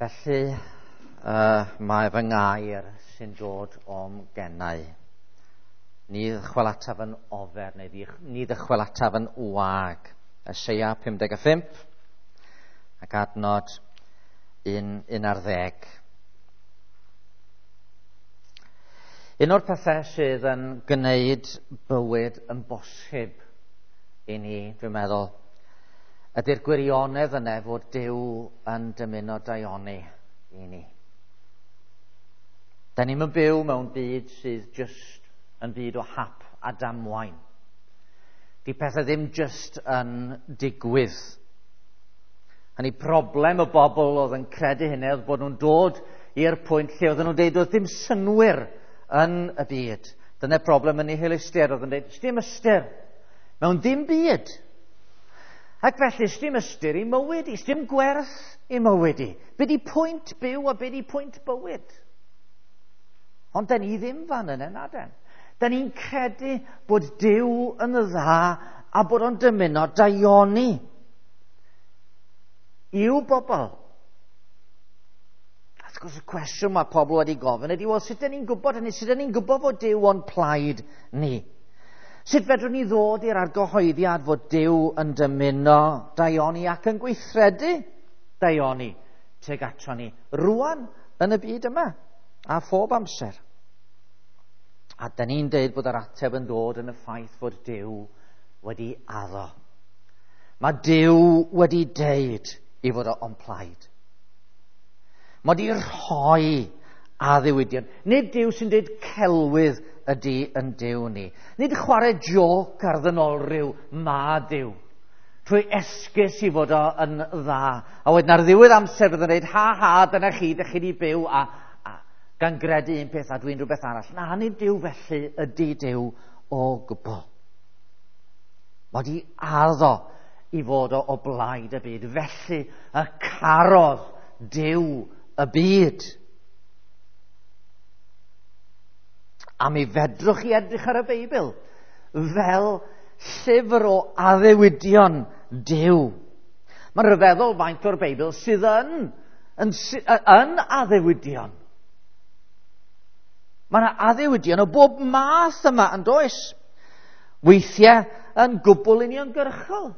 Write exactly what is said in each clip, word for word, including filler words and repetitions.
Felly, uh, mae fy ngair sy'n dod o'm gennau. Ni ddychwelataf yn ofer, neu ni ddychwelataf yn wag. Eseia pum deg pump ac adnod un, un ar ddeg. Un o'r pethau sydd yn gwneud bywyd yn bosib i ni, dwi'n meddwl, ydy'r gwirionedd yna fod Duw yn dymuno daioni i ni. Da ni'm yn byw mewn byd sydd jyst yn byd o hap a damwain. Di pethau ddim jyst yn digwydd. Hynny, problem y bobl oedd yn credu hynny oedd bod nhw'n dod i'r pwynt lle oedden nhw'n deud oedd ddim synnwyr yn y byd. Dyna'r problem yn nihilistiaid oedd yn deud, sdim ystyr mewn dim byd. Ac felly, sdim ystyr i mywyd i, sdim gwerth i mywyd i. Be di pwynt byw a be di pwynt bywyd? Ond da ni ddim fan yna, na den. Da ni'n credu bod Duw yn dda a bod o'n dymuno daioni i'w bobl. Wrth gwrs, y cwestiwn mae pobl wedi gofyn ydy, wel, sut da ni'n gwybod hynny? Sut da ni'n gwybod fod Duw o'n plaid ni? Sut fedrwn ni ddod i'r argyhoeddiad fod Duw yn dymuno daioni ac yn gweithredu daioni tuag ato ni rwan yn y byd yma a phob amser? A da ni'n deud bod yr ateb yn dod yn y ffaith fod Duw wedi addo. Mae Duw wedi deud i fod o o'n plaid. Mae wedi rhoi addewidion. Nid Duw sy'n deud celwydd ydy yn Duw ni. Nid chwarae joc ar ddynolryw ma Duw. Trwy esgus i fod o yn dda. A wedyn ar ddiwedd amser bydd yn dweud, ha ha, dyna chi, dych chi di byw, a, a gan gredu un peth a dwi'n rhywbeth arall. Na, nid Duw felly ydy Duw o gwbl. Mae di addo i fod o, o blaid y byd. Felly y carodd Duw y byd. A mi fedrwch chi edrych ar y Beibl fel llyfr o addewidion Duw. Mae'n rhyfeddol faint o'r Beibl sydd yn, yn, yn addewidion. Mae yna addewidion o bob math yma yn does. Weithiau yn gwbl uniongyrchol.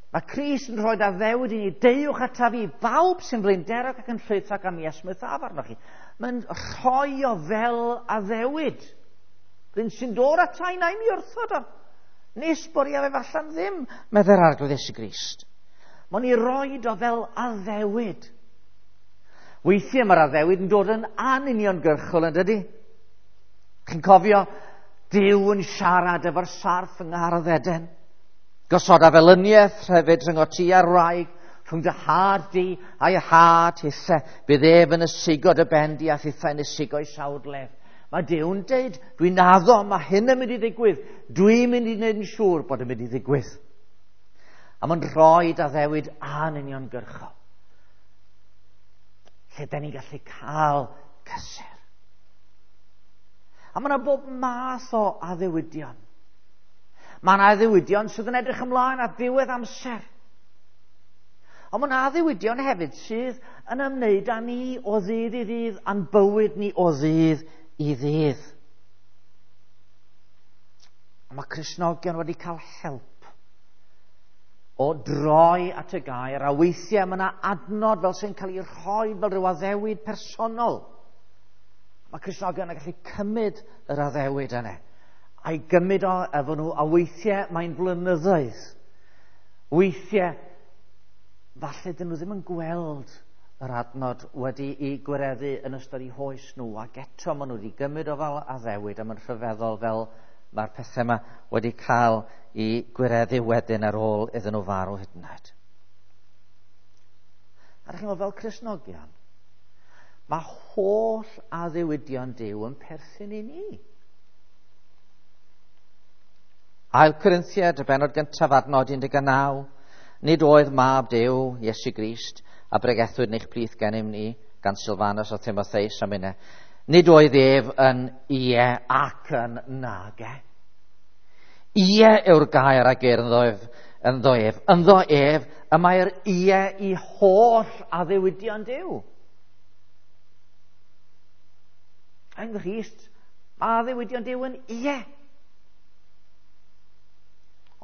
Mae Crist yn rhoi addewid i ni, deuwch ataf i bawb sy'n flinderog ac yn llwythog am esmwythaf arnoch chi. Mae'n rhoi o fel addewid. Rhywun sy'n dod ata i na i mi wrthod o. Nes bod i a fe allan ddim, meddai'r Arglwydd Iesu Grist. Mae'n ei roed o fel addewid. Weithiau mae'r addewid yn dod yn anuniongyrchol, yn dydy? Chi'n cofio Duw yn siarad efo'r sarff yng Nghardd Eden? Gosoda felyniaeth hefyd rhyngot ti a'r wraig, rhwng dy had di a'i had hithe. Bydd ef yn ysigo dy ben di a thithau yn ysigo'i sawdlef. Mae Duw'n deud, dwi'n addo, mae hyn yn mynd i ddigwydd. Dwi'n mynd i wneud yn siŵr bod yn mynd i ddigwydd. A mae'n rhoi addewid anuniongyrchol. Lle da ni'n gallu cael cysur. A mae yna bob math o addewidion. Mae yna addewidion sydd yn edrych ymlaen at ddiwedd amser. Ond mae yna addewidion hefyd sydd yn ymwneud â ni o ddydd i ddydd, a'n bywyd ni o ddydd i ddydd. A mae Cristnogion wedi cael help o droi at y gair, a weithiau mae yna adnod fel sy'n cael ei rhoi fel rhyw addewid personol. Mae Cristnogion yn gallu cymryd yr addewid yna a'i gymryd o efo nhw, a weithiau mae'n blynyddoedd. Weithiau, falle dyn nhw ddim yn gweld yr adnod wedi ei gwireddu yn ystod eu hoes nhw, ac eto maen nhw wedi gymryd o fel addewid, a mae'n rhyfeddol fel mae'r pethau yma wedi cael ei gwireddu wedyn ar ôl iddyn nhw farw hyd yn oed. A ydych chi'n meddwl, fel Cristnogion, mae holl addewidion Duw yn perthyn i ni. Ail Corinthiaid, y bennod gyntaf, adnod un deg naw. Nid oedd mab Duw, Iesu Grist, a bregethwyd yn eich plith gennym ni, gan Silfanus a Timotheus am hynny. Nid oedd ef yn ie ac yn nage. Ie yw'r gair a geir ynddo ef ynddo ef. Ynddo ef y mae'r ie i holl addewidion Duw. Yng Nghrist, mae addewidion Duw yn ie.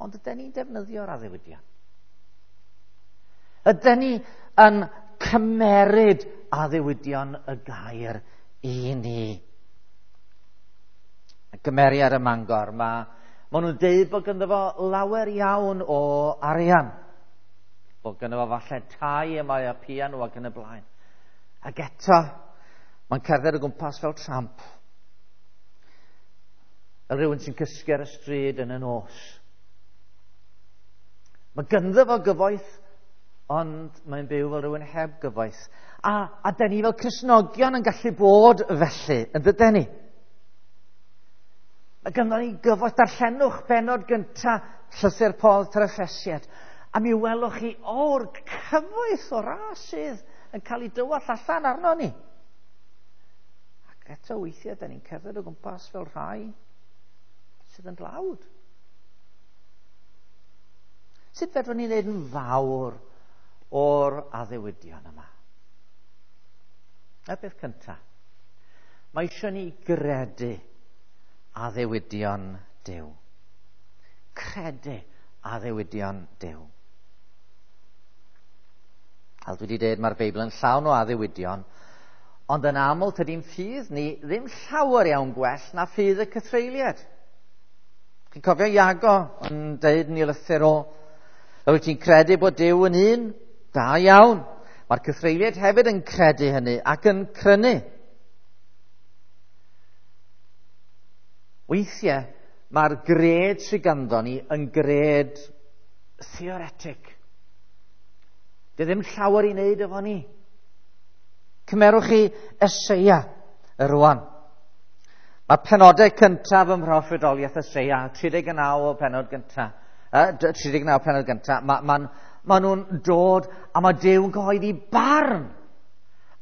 Ond ydyn ni'n defnyddio'r addewidion? Ydyn ni yn cymeryd addewidion y gair i ni? Y gymeriad y Mangor, mae ma nhw'n deud bod ganddo fo lawer iawn o arian. Bod ganddo fo falle tai y mae a piano ac yn y blaen. Ac eto, mae'n cerdded o gwmpas fel tramp. Fel rhywun sy'n cysgu ar y stryd yn y nos. Mae ganddo fo gyfoeth, ond mae'n byw fel rhywun heb gyfoeth. A, a da ni fel Cristnogion yn gallu bod felly, yn dydyn ni? Mae ganddo ni gyfoeth. Darllenwch bennod gynta llythyr Paul i'r Effesiaid, a mi welwch chi o'r cyfoeth o ras sydd yn cael ei dywallt allan arno ni. Ac eto weithiau, da ni'n cerdded o gwmpas fel rhai sydd yn dlawd. Sut fedrwn ni wneud yn fawr o'r addewidion yma? Y beth cyntaf, mae eisiau ni gredu addewidion Duw. Credu addewidion Duw. Fel dwi wedi dweud, mae'r Beibl yn llawn o addewidion, ond yn aml tydi'n ffydd ni ddim llawer iawn gwell na ffydd y cythreuliad. Chi'n cofio Iago yn deud yn ei lythyr o, wyt ti'n credu bod Duw yn un? Da iawn. Mae'r cythreuliad hefyd yn credu hynny ac yn crynu. Weithiau, mae'r gred sydd ganddo ni yn gred theoretig. Dy ddim llawer i wneud efo ni. Cymerwch chi Eseia y rwan. Mae'r penodau cyntaf ym mhroffwydoliaeth Eseia, tri deg naw o penod gyntaf, tri deg naw penod gyntaf, mae ma, ma nhw'n dod a mae Duw yn cyhoeddi barn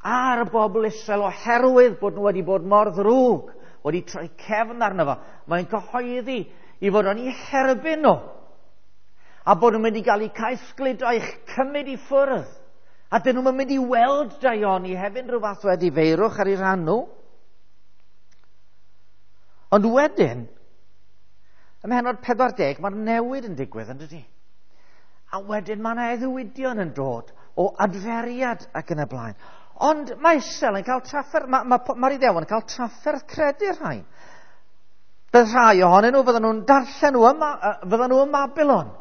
ar y bobl Israel oherwydd bod nhw wedi bod mor ddrwg, wedi troi cefn arno fo. Mae'n cyhoeddi i fod o'n eu herbyn nhw, a bod nhw'n mynd i gael eu caethgludo, i'ch cymryd i ffwrdd. A dyn nhw'n mynd i weld daioni hefyd rhyw fath o edifeirwch ar eu rhan nhw. Ond wedyn, ym mhennod pedwar deg, mae'r newid yn digwydd, yn dydi? A wedyn mae yna addewidion yn dod o adferiad ac yn y blaen. Ond mae Israel yn cael trafferth, mae'r ma, ma, ma Iddewon yn cael trafferth credu'r rhain. Bydd rhai ohonyn nhw, fydden nhw'n darllen nhw yma, fydden nhw ym Mabilon,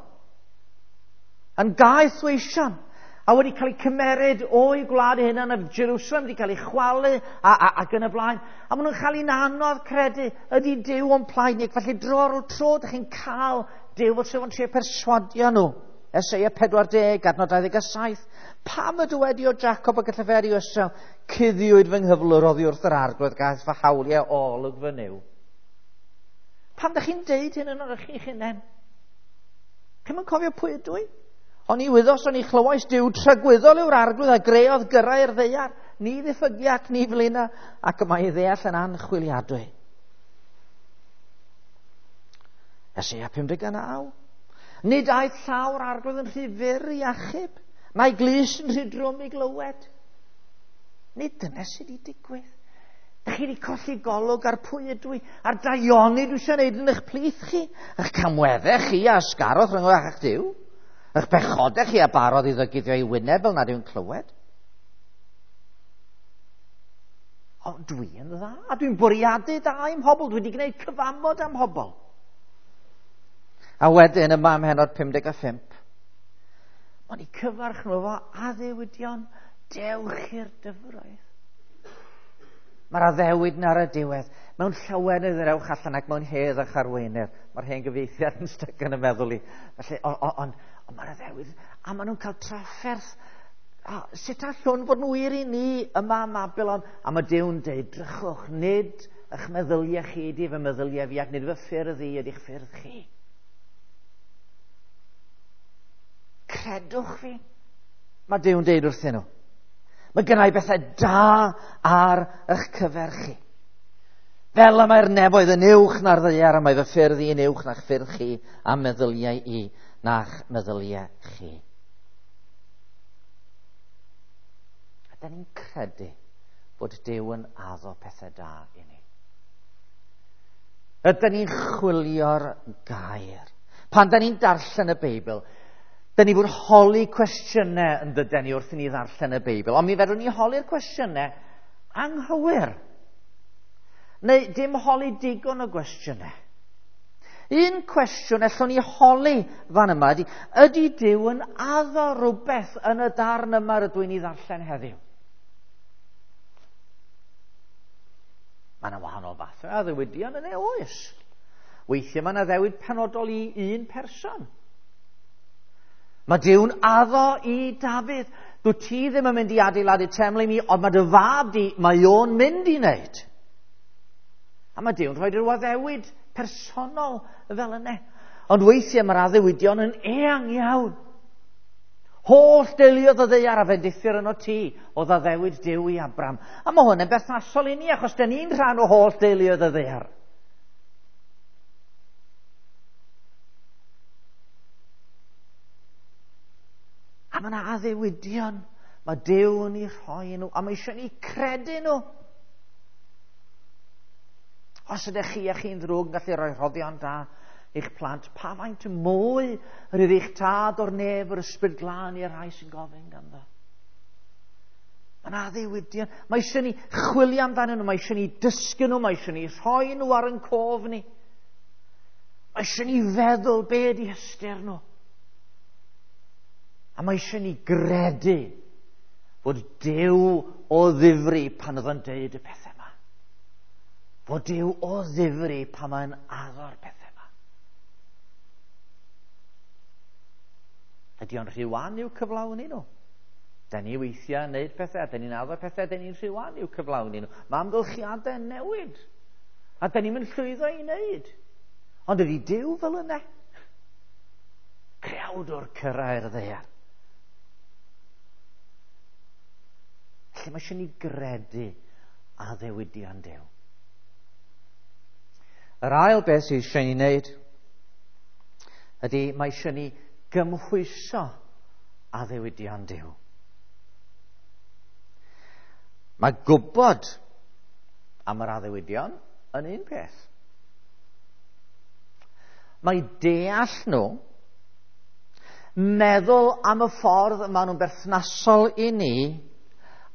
yn gaeth weision, a wedi cael eu cymeryd o'i gwlad eu hunan, a Jerusalem wedi cael ei chwalu, a, a, ac yn y blaen. A maen nhw'n cael ein anodd credu, ydy Duw o'n plaid ni. Ac felly dro ar ôl tro, ydych chi'n cael Duw fel sydd yn trio perswadio nhw. Eseia pedwar deg, adnod dau ddeg a saith. Pam y dywedi o Jacob ac y lleferi o Israel, cuddiwyd fy nghyflwr oddi wrth yr arglwydd, gaeth fy hawliau olwg fy Nuw. Pam ydych chi'n deud hyn yn o'r chi'ch hunain? Chi'm yn cofio pwy ydw i? O'n i wyddos, o'n i chlywais Duw tragwyddol yw'r arglwydd a greodd gyrrau'r ddaear. Ni ddiffygia ac ni flina, ac y mae ei ddeall yn anchwiliadwy. Eseia pum deg a naw. Nid aeth llaw'r arglwydd yn rhy fyr i achub, na'i glust yn rhy drwm i glywed. Nid dyna sydd wedi digwydd. Dych chi wedi colli golwg ar pwy ydw i, a'r daioni dwi eisiau gwneud yn eich plith chi, eich camweddau chi a ysgarodd rhwng eich Duw, eich bechodau chi a barodd iddo guddio ei wyneb fel nad yw'n clywed. Ond dwi yn dda, a dwi'n bwriadu da i'm hobl, dwi wedi gwneud cyfamod am hobl. A wedyn yma ym mhennod pum deg a phump, mae'n eu cyfarch nhw efo addewidion, dewch i'r dyfroedd. Mae'r addewid yn ar y diwedd. Mewn llawenydd yr ewch allan ac mewn hedd a charweinedd. Mae'r hen gyfieithiad yn styc yn y meddwl i. Felly, ond on, on, on mae'r addewid, a maen nhw'n cael trafferth. A sut allwn fod yn wir i ni yma ym Mabilon? A mae Duw'n deud, drychwch, nid eich meddyliau chi ydy fy meddyliau fi, ac nid fy ffyrdd i ydy'ch ffyrdd chi. Credwch fi, mae Duw'n deud wrthyn nhw. Mae gennau bethau da ar eich cyfer chi. Fel y mae'r nefoedd yn uwch na'r ddaear, a mae fy ffyrdd i yn uwch na'ch ffyrdd chi, a meddyliau i na'ch meddyliau chi. A da ni'n credu bod Duw yn addo pethau da i ni. Ydyn ni'n chwilio'r gair. Pan da ni'n darllen y Beibl, da ni fod holi cwestiynau yn dydyn ni wrth i ni ddarllen y Beibl, ond mi fedrwn ni holi'r cwestiynau anghywir. Neu dim holi digon o gwestiynau. Un cwestiwn allwn ni holi fan yma ydy, ydy Duw yn addo rhywbeth yn y darn yma rydw i'n ei ddarllen heddiw? Mae yna wahanol fathau addewidion yn ei oes. Weithiau mae yna addewid penodol i un person. Mae Duw'n addo i Dafydd. Dwi ti ddim yn mynd i adeiladu teml i mi, ond mae dy fab di, mae o'n mynd i wneud. A mae Duw'n rhoi rhyw addewid personol fel yna. Ond weithiau mae'r addewidion yn eang iawn. Holl deuluodd y ddaear a fendithir yno ti, oedd addewid Duw i Abram. A mae hwn yn berthnasol i ni, achos dyn ni'n rhan o holl deuluodd y ddaear. A mae yna addewidion, mae Duw yn ei rhoi nhw, a mae eisiau ni credu nhw. Os ydych chi a chi'n ddrwg yn gallu rhoi rhoddion da i'ch plant, pa faint mwy yr yw eich tad o'r nef yr ysbryd glân i'r rhai sy'n gofyn ganddo. Mae yna addewidion. Mae eisiau ni chwilio amdanyn nhw, mae eisiau ni dysgu nhw, mae eisiau ni rhoi nhw ar ein cof ni. Mae eisiau ni feddwl be ydi ystyr nhw. A mae eisiau ni gredu fod Duw o ddifri pan oedd o'n deud y pethau yma. Fod Duw o ddifri pan mae'n addo'r pethau yma. Ydy o'n rhy wan i'w cyflawni nhw? Da ni weithiau yn neud pethau, da ni'n addo pethau, da ni'n rhy wan i'w cyflawni nhw. Mae amgylchiadau yn newid, a da ni'n mynd llwyddo i wneud. Ond ydy Duw fel yna? Creawdwr cyrraedd y ddaear. Felly mae eisiau ni gredu addewidion Duw. Yr ail beth sydd eisiau ni wneud ydy mae eisiau ni gymhwyso addewidion Duw. Mae gwybod am yr addewidion yn un peth. Mae deall nhw, meddwl am y ffordd maen nhw'n berthnasol i ni,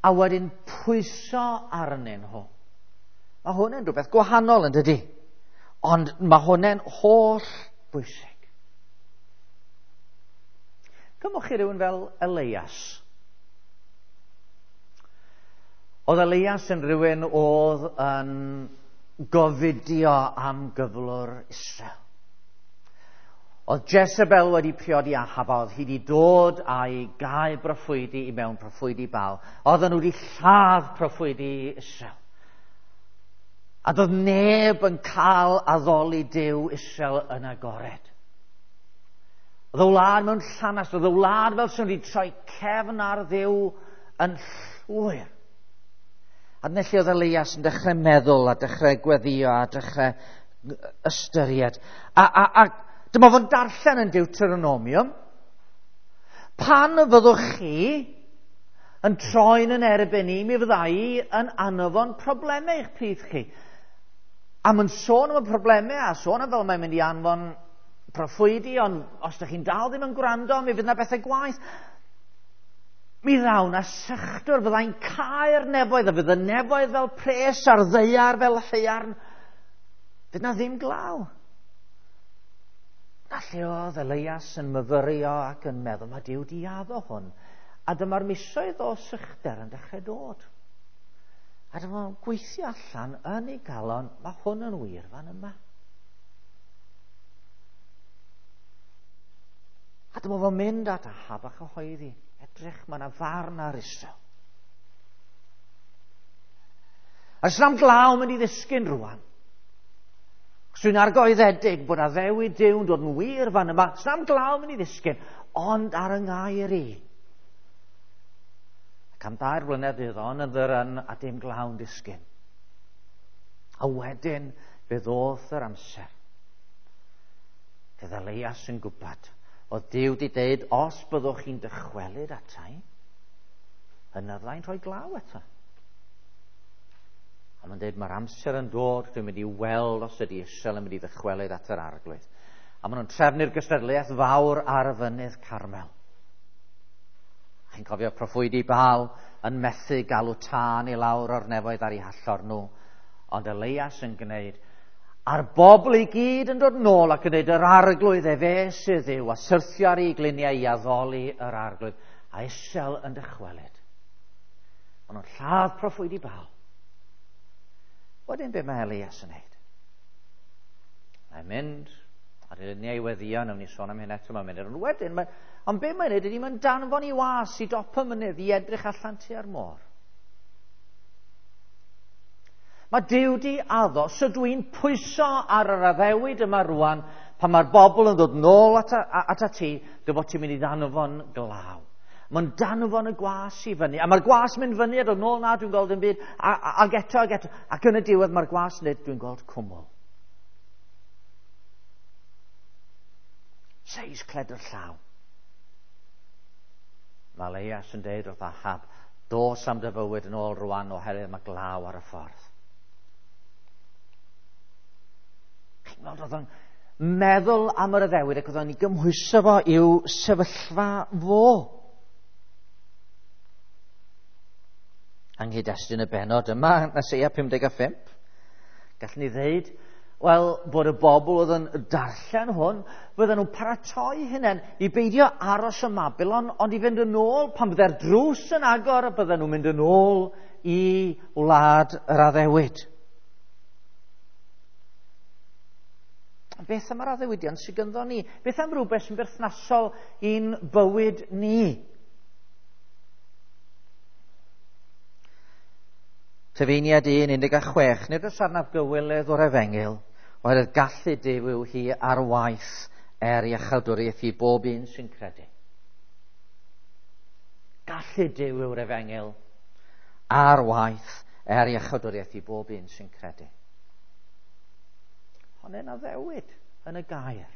a wedyn pwyso arnyn nhw. Mae hwn yn rhywbeth gwahanol yn dydy, ond mae hwn yn holl bwysig. Cymwch chi rhywun fel Elias. Oedd Elias yn rhywun oedd yn gofidio am gyflwr Israel. Oedd Jezebel wedi priodi Ahab, oedd hi wedi dod a'i gau proffwydi i mewn proffwydi Baal. Oedden nhw wedi lladd proffwydi Israel. A doedd neb yn cael addoli Duw Israel yn agored. Oedd y wlad mewn llanast, oedd y wlad fel sy'n wedi troi cefn ar Dduw yn llwyr. A dyna lle oedd Elias yn dechrau meddwl a dechrau gweddio a dechrau ystyried. A, a, a dyma fo'n darllen yn Deuteronomium. Pan fyddwch chi yn troi'n yn erbyn i, mi fydda i yn anfon problemau i'ch plith chi. A mae'n sôn am y problemau a sôn am fel mae'n mynd i anfon proffwydi, ond os ydych chi'n dal ddim yn gwrando, mi fydd yna bethau gwaeth. Mi ddaw na sychdwr, fyddai'n cau'r nefoedd, a fydd y nefoedd fel pres a'r ddaear fel haearn. Fydd na ddim glaw. Na lle oedd Elias yn myfyrio ac yn meddwl, mae Duw di addo hwn. A dyma'r misoedd o sychder yn dechrau dod. A dyma'n gweithio allan yn ei galon, mae hwn yn wir fan yma. A dyma fo'n mynd at Ahab a chyhoeddi. Edrych, mae yna farn ar Israel. A does na'm glaw mynd i ddisgyn rwan. Dwi'n argoeddedig bod addewid Duw'n dod yn wir fan yma. Does na'm glaw mynd i ddisgyn, ond ar yng ngair i. Ac am dair blynedd iddo yn ddyryn a dim glaw'n disgyn. A wedyn fe ddoth yr amser. Fydd Elias yn gwybod Oedd Duw wedi dweud, os byddwch chi'n dychwelyd atai, yna fyddai'n rhoi glaw eto. A mae'n dweud, mae'r amser yn dod, dwi'n mynd i weld os ydy Israel yn mynd i ddychwelyd at yr Arglwydd. A maen nhw'n trefnu'r gystadleuaeth fawr ar y fynydd Carmel. Chi'n cofio proffwydi Baal yn methu galw tân i lawr o'r nefoedd ar eu hallor nhw. Ond Elias yn gwneud, a'r bobl i gyd yn dod nôl ac yn dweud, yr Arglwydd efe sydd yw, a syrthio ar ei gliniau i addoli yr Arglwydd. A Israel yn dychwelyd. Maen nhw'n lladd proffwydi Baal. Wedyn be mae Elias yn neud? Mae'n mynd ar ei luniau i weddio, nawn ni sôn am hyn eto mewn munud. Ond wedyn, mae, ond be mae'n neud ydy mae'n danfon i was i dop y mynydd i edrych allan tua'r môr. Mae Duw di addo, so dwi'n pwyso ar yr addewid yma rwan, pan mae'r bobl yn dod nôl at, at, at ti, dy fod ti'n mynd i ddanfon glaw. Mae'n danfon y gwas i fyny, a mae'r gwas mynd fyny a dod nôl, na, dwi'n gweld yn byd, a, a, ag eto, ag eto, ac yn y diwedd mae'r gwas yn dweud, dwi'n gweld cwmwl. Seis cledr llaw. Mae Elias yn dweud wrth Ahab, dos am dy fywyd yn ôl rwan oherwydd mae glaw ar y ffordd. Chi'n gweld, oedd o'n meddwl am yr addewid ac oedd o'n ei gymhwyso fo i'w sefyllfa fo. Yng nghyd-destun y bennod yma, Eseia pum deg a phump, gallwn ni ddeud, wel, bod y bobl oedd yn darllen hwn, fydden nhw'n paratoi hunain i beidio aros ym Mabilon, ond i fynd yn ôl pan bydde'r drws yn agor, bydden nhw'n mynd yn ôl i wlad yr addewid. Beth am yr addewidion sydd ganddo ni? Beth am rhywbeth sy'n berthnasol i'n bywyd ni? Tyfeiniad un, un deg a chwech, nid oes arnaf gywilydd o'r efengyl, oherwydd gallu Duw yw hi ar waith er iachawdwriaeth i bob un sy'n credu. Gallu Duw yw'r efengyl ar waith er iachawdwriaeth i bob un sy'n credu. Ond yn addewid yn y gair.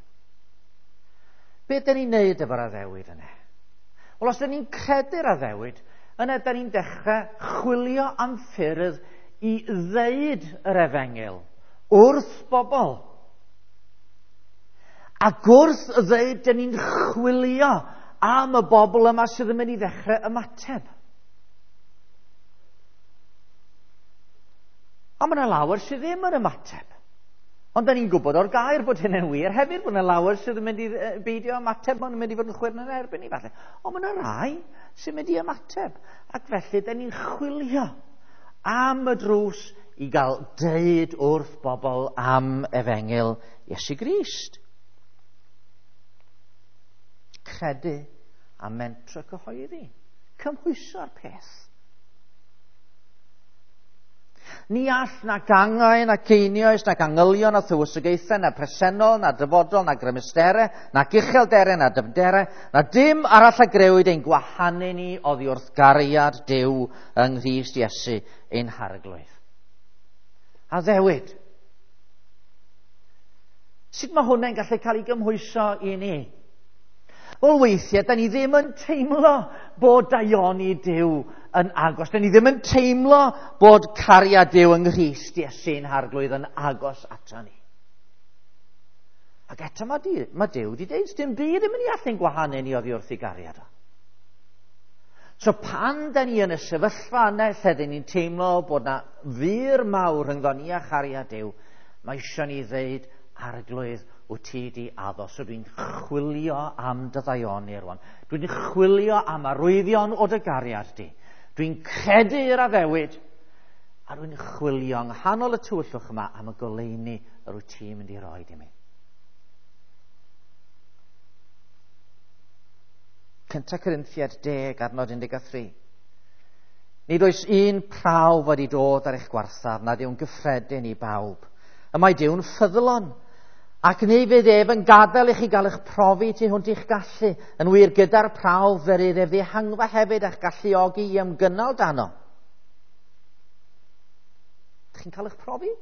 Be dyn ni'n neud efo'r addewid yna? Wel, os dyn ni'n credu'r addewid, yna dyn ni'n dechrau chwilio am ffyrdd i ddeud yr efengyl wrth bobl. Ac wrth ddeud, dyn ni'n chwilio am y bobl yma sydd yn mynd i ddechrau ymateb. A mae yna lawer sydd ddim yn ymateb. Ond da ni'n gwybod o'r gair bod hynny'n wir hefyd, bod yna lawer sydd yn mynd i beidio ymateb, maen nhw'n mynd i fod yn chwyrn yn erbyn ni falle. Ond mae yna rai sy'n mynd i ymateb. Ac felly, da ni'n chwilio am y drws i gael deud wrth bobl am efengyl Iesu Grist. Credu a mentro cyhoeddi. Cymhwyso'r peth. Ni all na gangau, na ceinios, na gangylion, na thywysogaethau, na presennol, na dyfodol, na grymusterau, na uchelderau, na dyfnderau, na dim arall a grëwyd ein gwahanu ni oddi wrth gariad Duw yng Nghrist Iesu ein Harglwydd. Addewid. Sut mae hwnna'n gallu cael ei gymhwyso i ni? Wel, weithiau, da ni ddim yn teimlo bod daioni Duw yn agos. Da ni ddim yn teimlo bod cariad Duw yng Nghrist Iesu'n Harglwydd yn agos ato ni. Ac eto mae, di, mae Duw wedi dweud, dim byd yn mynd i allu'n gwahanu ni oddi wrth ei gariad o. So pan da ni yn y sefyllfa yna lle da ni'n teimlo bod na fur mawr rhyngddo ni a chariad Duw, mae eisiau ni ddeud, Arglwydd, wyt ti di addo. So dwi'n chwilio am dy ddaioni rwan. Dwi'n chwilio am arwyddion o dy gariad di. Dwi'n credu i'r addewid, a dwi'n chwilio yng nghanol y tywyllwch yma am y goleuni yr wyt ti'n mynd i roed i mi. Cynta Corinthiaid deg, adnod un deg a thri. Nid oes un prawf wedi dod ar eich gwarthaf nad yw'n gyffredin i bawb. Y mae Duw'n ffyddlon, ac ni fydd ef yn gadael i chi gael eich profi tu hwnt i'ch gallu. Yn wir, gyda'r prawf fe rydd ef ddihangfa hefyd a'ch galluogi i ymgynnal dano. Ydych chi'n cael eich profi?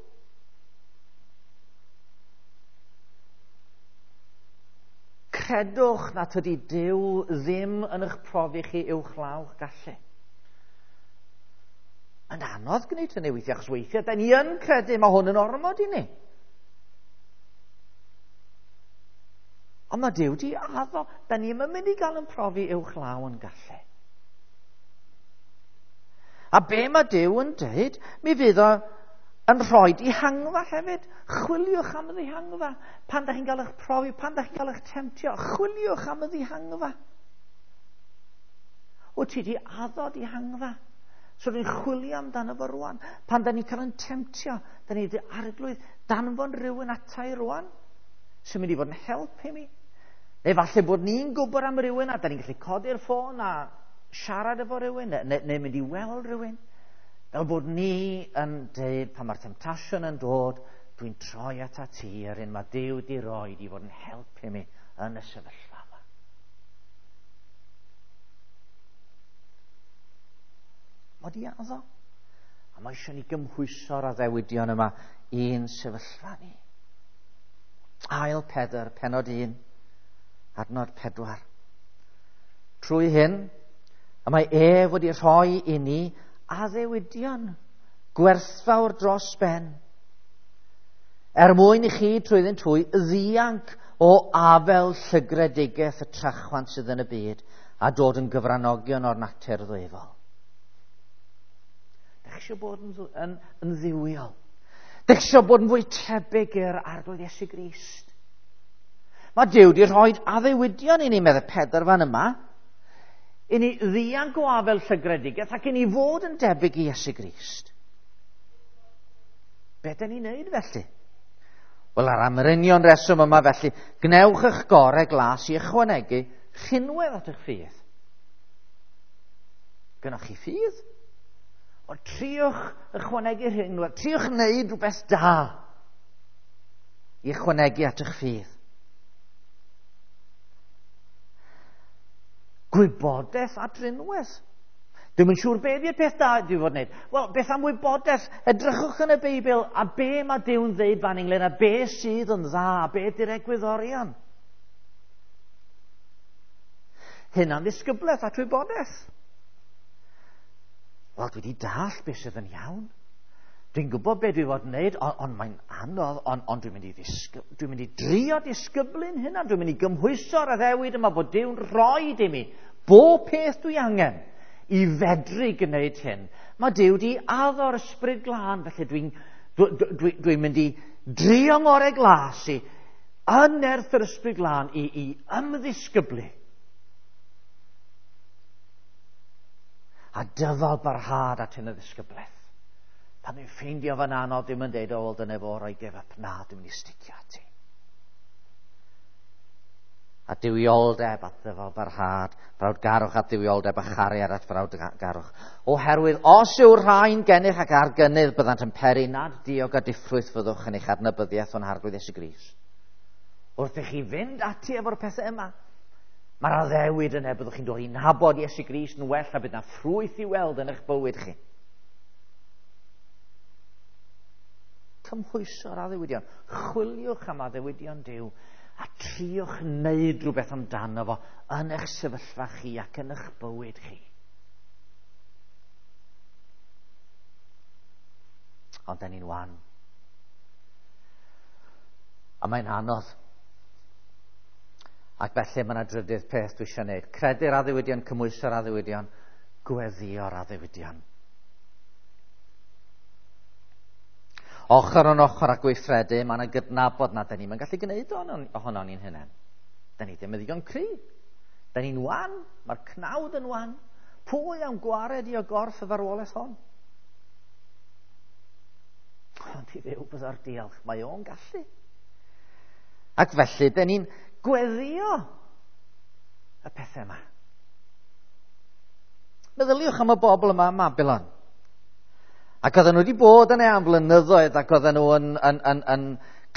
Credwch na tydi Duw ddim yn eich profi chi uwchlaw'ch gallu. Yn anodd gwneud hynny weithiau, achos weithiau da ni yn credu mae hwn yn ormod i ni. Ond mae Duw di addo, da ni ddim yn mynd i gael yn profi uwchlaw yn gallu. A be mae Duw yn dweud, mi fydd o yn rhoi dihangfa hefyd. Chwiliwch am y ddihangfa. Pan da chi'n cael eich profi, pan da chi'n cael eich temtio, chwiliwch am y ddihangfa. Wyt ti di addo dihangfa? So ni'n chwilio amdano fo rwan. Pan da ni'n cael yn temtio, da ni wedi arglwydd danfon rhywun ata i rwan, sy'n mynd i fod yn help i mi. Neu falle bod ni'n gwybod am rhywun a da ni'n gallu codi'r ffôn a siarad efo rhywun, neu, neu mynd i weld rhywun. Fel bod ni yn deud, pan mae'r temtasiwn yn dod, dwi'n troi ata ti, yr un mae Duw di roi i fod yn help i mi yn y sefyllfa yma. Mae di addo. A mae eisiau ni gymhwyso'r addewidion yma i'n sefyllfa ni. Ail Pedr, penod un, adnod pedwar. Trwy hyn, y mae ef wedi rhoi i ni addewidion gwerthfawr dros ben, er mwyn i chi trwyddynt hwy ddianc o afel llygredigaeth y trachwant sydd yn y byd a dod yn gyfranogion o'r natur ddwyfol. Dych chi eisiau bod yn, yn, yn dduwiol? Dych chi eisiau bod yn fwy tebyg i'r Arglwydd Iesu Grist? Mae Duw wedi rhoi addewidion i ni, meddai Pedr fan yma, i ni ddianc o afel llygredigaeth ac i ni fod yn debyg i Iesu Grist. Be dyn ni'n neud felly? Wel, ar am yr union reswm yma felly, gnewch eich gorau glas i ychwanegu rhinwedd at eich ffydd. Gynnwch chi ffydd? O, triwch ychwanegu rhinwedd, triwch wneud rhywbeth da i ychwanegu at eich ffydd. Gwybodaeth a drinwedd. Dwi'm yn siŵr be ydi'r peth da dwi fod wneud. Wel, beth am wybodaeth? Edrychwch yn y Beibl a be mae Duw'n ddeud fan ynglyn a be sydd yn dda, a be ydi'r egwyddorion. Hynna'n ddisgyblaeth at wybodaeth. Wel, dwi wedi dallt beth sydd yn iawn. Dwi'n gwybod be dwi fod yn wneud, ond on mae'n anodd, ond on dwi'n mynd i ddisgyb, dwi'n mynd i drio disgyblu'n hynna, dwi'n mynd i gymhwyso'r addewid yma bod Duw'n rhoi i mi bob peth dwi angen i fedru gwneud hyn. Mae Duw di addo'r Ysbryd Glân, felly dwi'n dwi, dwi, dwi, dwi mynd i drio ngorau glas i yn nerth yr Ysbryd Glân i, i ymddisgyblu. A dyfal barhad at hyn y ddisgyblaeth. Pan dwi'n ffeindio fan anodd, dwi'n mynd deud, o, wel, dyna fo, roi give up. Na, dwi'n mynd i sticio ati. A duwioldeb at ddyfal barhad, brawdgarwch at dduwioldeb a chariad at frawdgarwch. Oherwydd, os yw'r rhain gennych ac ar gynnydd, byddant yn peri nad diog a diffrwyth fyddwch yn eich adnabyddiaeth o'n Harglwydd Iesu Grist. Wrth i chi fynd ati efo'r pethau yma, mae'r addewid yna, byddwch chi'n dod i nabod Iesu Grist yn well a bydd na ffrwyth i weld yn eich bywyd chi. Cymhwyso'r addewidion. Chwiliwch am addewidion Duw a triwch wneud rhywbeth amdano fo yn eich sefyllfa chi ac yn eich bywyd chi. Ond da ni'n wan. A mae'n anodd. Ac felly mae yna drydydd peth dwi eisiau gwneud. Credu'r addewidion, cymhwyso'r addewidion, gweddïo'r addewidion. Ochr yn ochr a gweithredu, mae yna gydnabod na da ni'n gallu gwneud ohono ni'n hunain. Da ni ddim yn ddigon cry. Da ni'n wan, mae'r cnawd yn wan. Pwy am gwared i o gorff y farwolaeth hon? Ond i Dduw bydda'r diolch, mae o'n gallu. Ac felly, da ni'n gweddio y pethau yma. Meddyliwch am y bobl yma ym Mabilon. Ac oedden nhw wedi bod yna am flynyddoedd ac oedden nhw yn, yn, yn, yn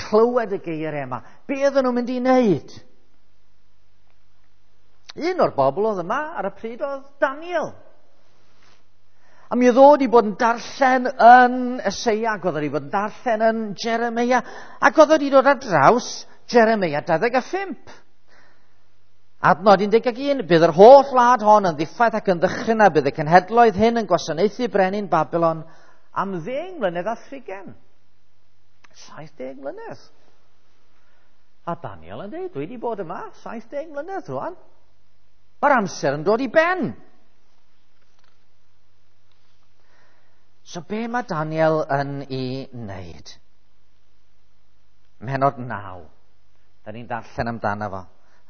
clywed y geiriau yma. Be oedden nhw'n mynd i wneud? Un o'r bobl oedd yma ar y pryd oedd Daniel. A mi oedd o wedi bod yn darllen yn Eseia, ac oedd wedi bod yn darllen yn Jeremia, ac oedd wedi dod ar draws Jeremia dau ddeg a phump. Adnod un deg un, bydd yr holl wlad hon yn ddiffaith ac yn ddychryn a bydd y cenhedloedd hyn yn gwasanaethu brenin Babilon am ddeng mlynedd a thrigen. Saith deg mlynedd. A Daniel yn dweud, dwi wedi bod yma saith deg mlynedd rwan. Mae'r amser yn dod i ben. So be mae Daniel yn ei wneud? Mhenod naw. Da ni'n darllen amdano fo.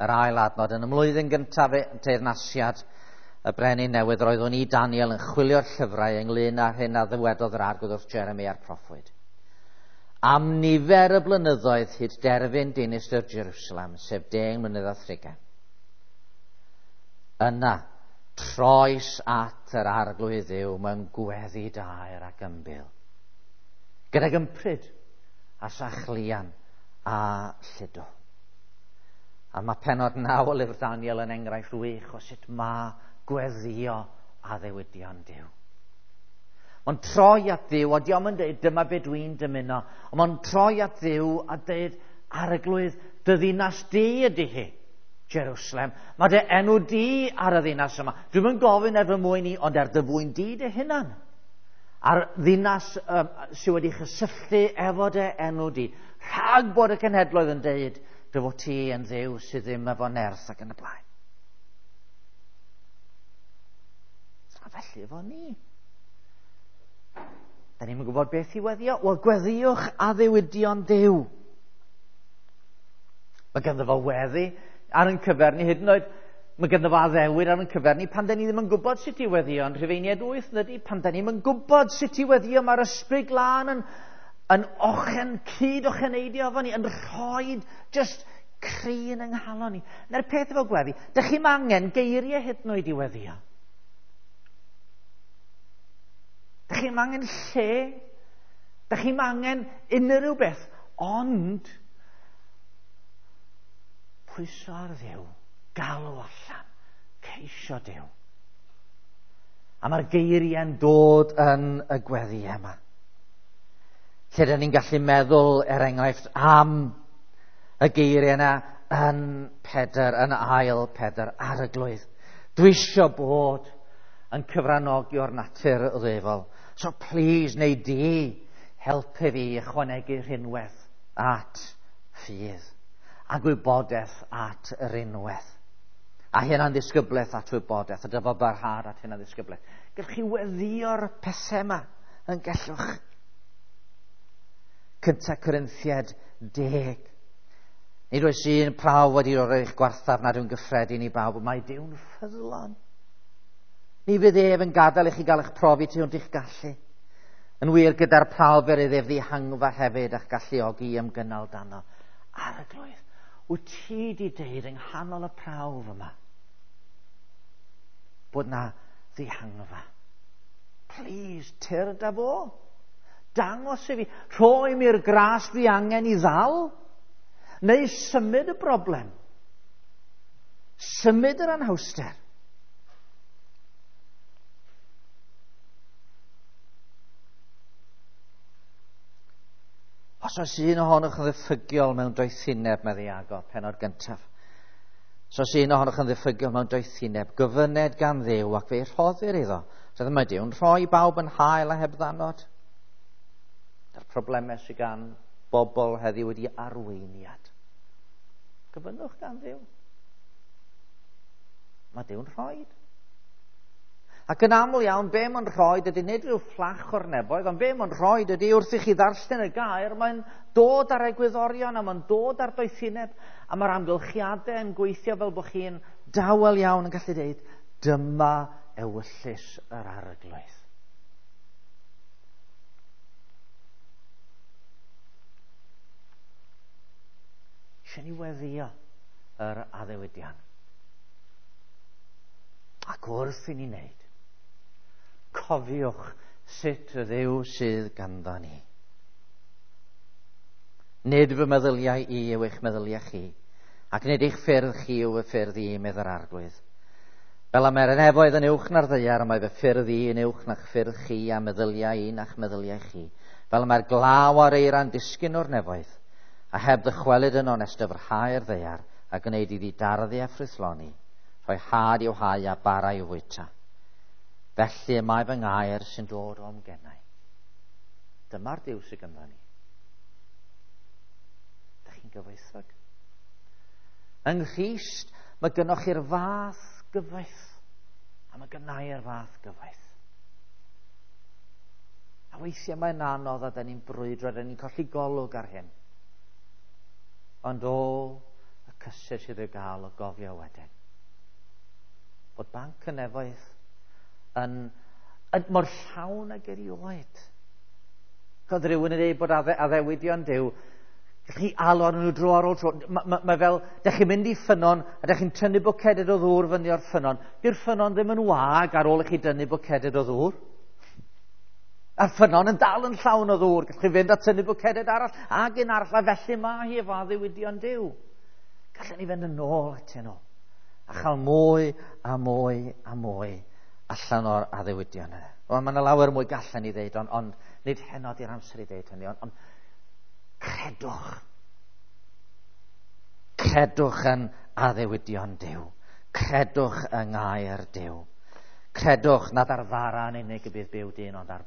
Yr ail adnod, yn y mlwyddyn gyntaf teyrnasiad y brenin newydd, roeddwn i Daniel yn chwilio'r llyfrau ynglyn â'r hyn a ddywedodd yr Arglwydd wrth Jeremy a'r proffwyd. Am nifer y blynyddoedd hyd derfyn dinistr Jerusalem, sef deng mlynedd a thrigain. Yna, troes at yr Arglwydd Dduw mewn gweddi daer ac ymbil, gydag ympryd a sachlian a lludw. A mae penod naw o lyfr Daniel yn enghraifft wych o sut mae gweddio addewidion Duw. Mae'n troi at Dduw, a dio'm yn dweud dyma be dwi'n dymuno, ond mae'n troi at Dduw a dweud, Arglwydd, dy ddinas di ydy hi, Jerusalem. Mae dy enw di ar y ddinas yma. Dwi'm yn gofyn er fy mwyn i, ond er dy fwyn di dy hunan. A'r ddinas um, sydd wedi chysylltu efo dy enw di. Rhag bod y cenhedloedd yn deud, dy fod ti yn Dduw sydd ddim efo nerth ac yn y blaen. A felly efo ni. Da ni'n gwybod beth i weddio. Wel, gweddiwch addewidion Duw. Mae ganddo fo weddi ar ein cyfer ni, hyd yn oed mae ganddo fo addewid ar ein cyfer ni pan da ni ddim yn gwybod sut i weddio. Yn Rhufeiniaid wyth, ydy, pan da ni'n gwybod sut i weddio, mae'r Ysbryd Glân yn yn ochen, cyd ocheneidio efo ni, yn rhoi just cri yn yng nghalon ni. Na'r peth efo gweddi, dych chi'm angen geiriau hyd yn oed i weddio. Dych chi'm angen lle, dych chi'm angen unrhyw beth, ond pwyso ar Dduw, galw allan, ceisio Duw. A mae'r geiriau'n dod yn y gweddi yma. Lle dyn ni'n gallu meddwl, er enghraifft, am y geiriau yna yn Pedr, yn ail Pedr, Arglwydd. Dwi isio bod yn cyfranogi o'r natur ddefol. So please, neu di, helpu fi ychwanegu rhinwedd at ffydd a gwybodaeth at rinwedd. A hynna'n ddisgyblaeth at wybodaeth, a dyfal barhad at hynna'n ddisgyblaeth. Gallwch chi weddïo'r pethau yma yn gallwch. Cynta Corinthiaid deg. Nid oes un prawf wedi rhoi eich gwarthaf nad yw'n gyffredin i bawb, mae Duw'n ffyddlon. Ni fydd ef yn gadael i chi gael eich profi tu hwnt i'ch gallu. Yn wir, gyda'r prawf fer iddo ef ddihangfa hefyd a'ch galluogi i ymgynnal dano. Arglwydd, wyt ti di deud yng nghanol y prawf yma bod na ddihangfa? Please, tyrd â fo. Dangos i fi, rhoi mi'r gras dwi angen i ddal, neu symud y broblem, symud yr anhawster. Os oes un ohonoch yn ddiffygiol mewn doethineb, medde Iago, penod gyntaf. Os oes un ohonoch yn ddiffygiol mewn doethineb, gofyned gan Dduw ac fe'i rhoddir iddo. So mae Duw'n rhoi bawb yn hael a heb ddanod. Yr problemau sydd gan bobl heddiw wedi arweiniad. Gofynnwch gan Dduw. Mae Duw'n rhoi. Ac yn aml iawn, be mae'n rhoi ydy nid rhyw fflach o'r neboedd, ond be mae'n rhoi ydy wrth i chi ddarllen y gair, mae'n dod ar egwyddorion a mae'n dod ar doethineb, a mae'r amgylchiadau yn gweithio fel bod chi'n dawel iawn yn gallu dweud, dyma ewyllys yr Arglwydd. Eisiau ni weddio yr addewidion. Ac wrth i ni wneud, cofiwch sut y Dduw sydd ganddo ni. Nid fy meddyliau i yw eich meddyliau chi, ac nid eich ffyrdd chi yw fy ffyrdd i, medd yr Arglwydd. Fel y mae'r nefoedd yn uwch na'r ddaear, mae fy ffyrdd i yn uwch na'ch ffyrdd chi, a meddyliau i na'ch meddyliau chi. Fel y mae'r glaw a'r eira'n disgyn o'r nefoedd, a heb ddychwelyd yn onest dyfrhau'r ddaear, a gwneud iddi darddu a ffrwythloni, rhoi had i'w hau a bara i'w fwyta. Felly y mae fy ngair sy'n dod o'm genau. Dyma'r Duw sydd gynddon ni. Dych chi'n gyfoethog? Yng Nghrist, mae gynnoch chi'r fath gyfoeth, a mae gynnau'r fath gyfoeth. A weithiau mae'n anodd a da ni'n brwydro, a da ni'n colli golwg ar hyn. Ond o, y cysur sydd i'w gael o gofio wedyn. Bod banc y nefoedd yn, yn mor llawn ag erioed. Codd rhywun yn dweud bod adde, addewidion Duw, chi alw arnyn nhw dro ar ôl tro. Mae ma, ma fel, dech chi'n mynd i ffynnon, a dech chi'n tynnu bwceded o ddŵr fyny o'r ffynnon. Dyw'r ffynnon ddim yn wag ar ôl i chi dynnu bwceded o ddŵr. A'r ffynnon yn dal yn llawn o ddŵr. Gallwch chi fynd a tynnu bwceded arall, ag un arall, a felly mae hi efo addewidion Duw. Gallwn ni fynd yn ôl atyn nhw, a chael mwy a mwy a mwy allan o'r addewidion yna. Wel, mae yna lawer mwy gallen ni ddeud, ond, ond nid heno di'r amser i ddeud hynny, ond, ond credwch. Credwch yn addewidion Duw. Credwch yng ngair Duw. Credwch nad ar fara yn unig y bydd byw dyn, ond ar